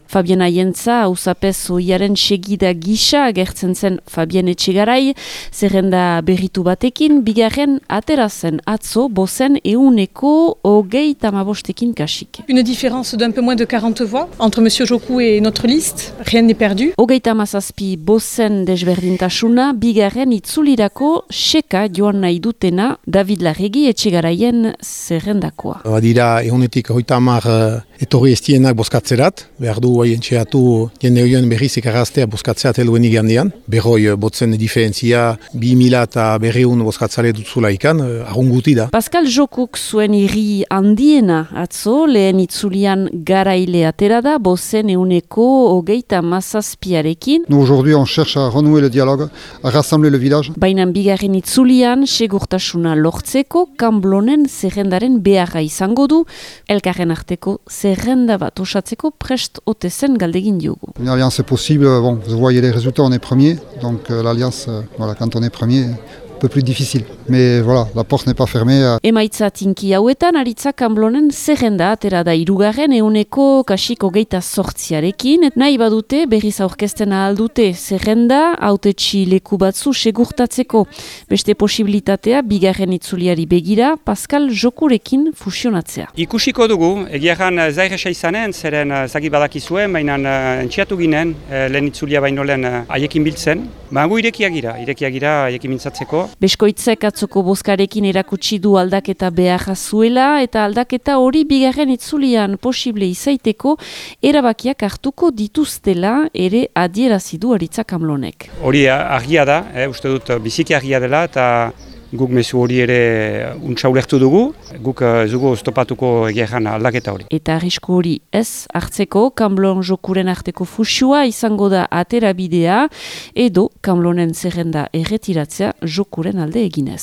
Fabien Aientza, hausapez oiaren segida gisa agertzen zen Fabien Etxegarai, zerrenda berritu batekin, bigarren atera zen atzo bozen 135 kasik. Une différence d'un peu moins de 40 voix entre M. Joku et notre liste, rien n'est perdu. 37 bozen desberdintasuna, bigarren itzulirako seka joan nahi dutena David Larregi Etxegaraien zerrendakoa. Badira 130 etorri estienak bozkatzerat, behar du entxeatu jende horien berriz ekaraztea bozkatzeat heluen igandean. Berroi botzen diferentzia 2000 eta 200 bozkatzale dutzula ikan, argunguti da. Pascal Jokuk zuen irri handiena atzo, lehen itzulian garaile atera da, bozen 137arekin. Nous aujourd'hui on cherche à renouer le dialogue, à rassembler le village. Baina bigarren itzulian segurtasuna lortzeko kanblonen zerrendaren beharra izango du, elkarren arteko zerrenda bat osatzeko prest ote zen galdegin diogu. Une alliance est possible, bon, vous voyez les résultats, on est premier, donc l'alliance, voilà, quand on est premier, un peu plus difficile. Mais voilà, la porte n'est pas fermée. Emaitza tinki hauetan, aritza kanblonen zerrenda atera da irugarren 128arekin, et nahi badute berriz aurkezten ahal dute zerrenda hautetsi leku batzu segurtatzeko. Beste posibilitatea bigarren itzuliari begira Pascal Jokurekin fusionatzea. Ikusiko dugu, egiaran zairesa izanen, zeren zagi badakizuen, baina entxiatu ginen, lehen itzulia baino lehen haiekin biltzen. Baina irekiagira haiekin mintzatzeko. Beskoitzek atzoko bozkarekin erakutsi du aldaketa beharra zuela eta aldaketa hori bigarren itzulian posible izaiteko erabakiak hartuko dituztela ere adierazi du Aritza Kamlonek. Hori argia da, uste dut biziki argia dela eta guk mezu hori ere untsa ulertu dugu, guk zugu oztopatuko egeran aldaketa hori. Eta arrisku hori ez hartzeko, Kamblon Jokuren arteko fusioa izango da atera bidea, edo Kamlonen zerrenda erretiratzea Jokuren alde eginez.